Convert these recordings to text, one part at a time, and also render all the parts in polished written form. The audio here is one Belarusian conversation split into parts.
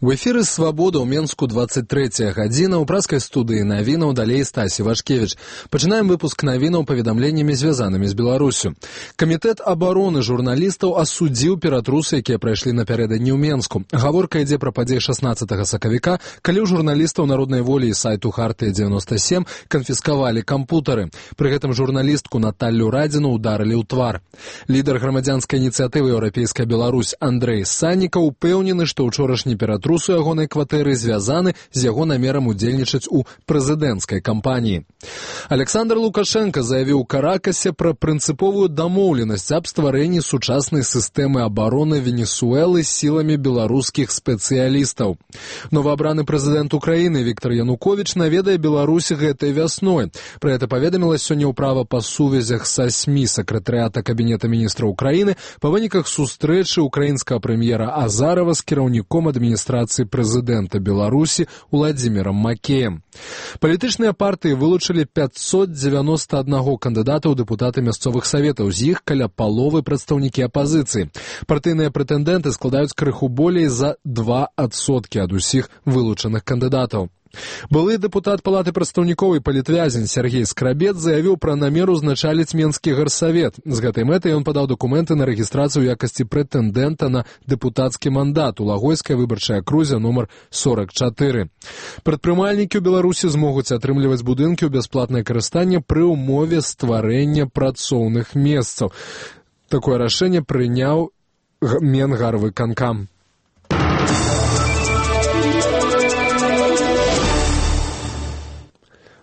У эфіры «Свабода» ў Менску 23 гадзіна. У праскай студыі навінаў далей Стасі Вашкевіч. Пачынаем выпуск навінаў паведамленнямі, звязанымі з Беларусю. Камітэт абароны журналістаў асудзіў ператрусы, якія прайшлі напярэдадні ў Менску. Гаворка ідзе пра падзеі 16 сакавіка, калі ў журналістаў Народнай волі і сайту Хартыя 97 канфіскавалі кампутары. Пры гэтым журналістку Наталлю Радзіну ударылі ў твар. Лідар грамадзянскай ініцыятывы «Еўрапейская Беларусь» Андрэй Саннікаў упэўнены, што ўчорашні ператрус у ягонай кватэры звязаны з яго намерам удзельнічаць у прэзідэнцкай кампаніі. Александр Лукашенко заявіў у Каракасе пра прынцыповую дамоўленасць аб стварэнні сучаснай сістэмы абароны Венесуэлы сіламі беларускіх спецыялістаў. Новаабраны прэзідэнт Украіны Віктор Януковіч наведае Беларусі гэтай вясной. Пра гэта паведаміла сёння ўправа па сувязях са СМІ сакратарыята Кабінета міністраў Украіны па выніках сустрэчы украінскага прэм'ера Азарова з кіраўніком адміністрацыі прэзідэнта Беларусі Уладзімірам Макеем. Палітычныя партыі вылучылі 591 кандыдата ў дэпутаты мясцовых саветаў, з іх каля паловы прадстаўнікі апазіцыі. Партыйныя прэтэндэнты складаюць крыху болей за 2% ад усіх вылучаных кандыдатаў. Былы дэпутат палаты прадстаўнікоў і палітвязень Сергей Скрабец заявіў пра намер узначаліць Менскі гарсавет. З гэтай мэтай ён падаў дакументы на рэгістрацыю ў якасці прэтэндэнта на дэпутацкі мандат у Лагойскай выбарчай акрузе нумар 44. Прадпрымальнікі ў Беларусі змогуць атрымліваць будынкі ў бясплатнае карыстанне пры ўмове стварэння працоўных месцаў. Такое рашэнне прыняў Менгарвыканкам.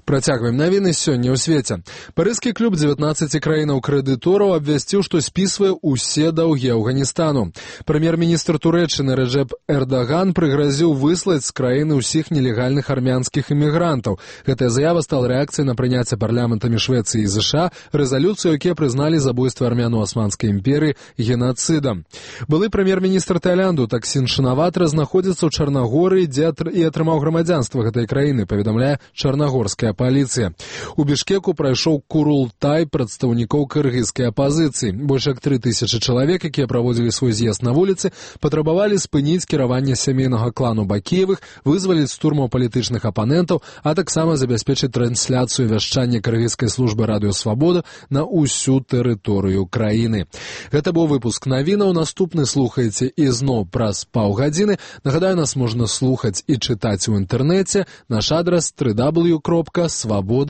Працягваем навіны сёння ў свеце. Парыжскі клуб 19 краінаў крэдытораў абвясціў, што спісвае ўсе даўгі Афганістану. Прэм'ер-міністр Турэччыны Рэджэп Эрдаган прыгразіў выслаць з краіны ўсіх нелегальных армянскіх імігрантаў. Гэтая заява стала рэакцыяй на прыняцце парламентамі Швецыі і ЗША рэзалюцыю, якія прызналі забойства армян у Асманскай імперыі генацыдам. Былы прэм'ер-міністр Таіланду Таксін Шинаватра знаходзіцца ў Чарнагорыі, дзе і атрымаў грамадзянства гэтай краіны, паведамляе чарнагорская паліцыя. У Бішкеку прайшоў курултай прадстаўнікоў кыргызскай апазіцыі. Больш як 3000 чалавек, якія праводзілі свой з'езд на вуліцы, патрабавалі спыніць кіраванне сямейнага клану Бакіевых, вызваліць штурмаў палітычных апанентаў, а таксама забяспечыць трансляцыю вяшчання кыргызскай службы радыё «Свабода» на ўсю тэрыторыю краіны. Гэта быў выпуск навінаў. Наступны слухаеце ізноў праз паўгадзіны. Нагадаю, нас можна слухаць і чытаць у інтэрнэце. Наш адрас www.свабода.орг.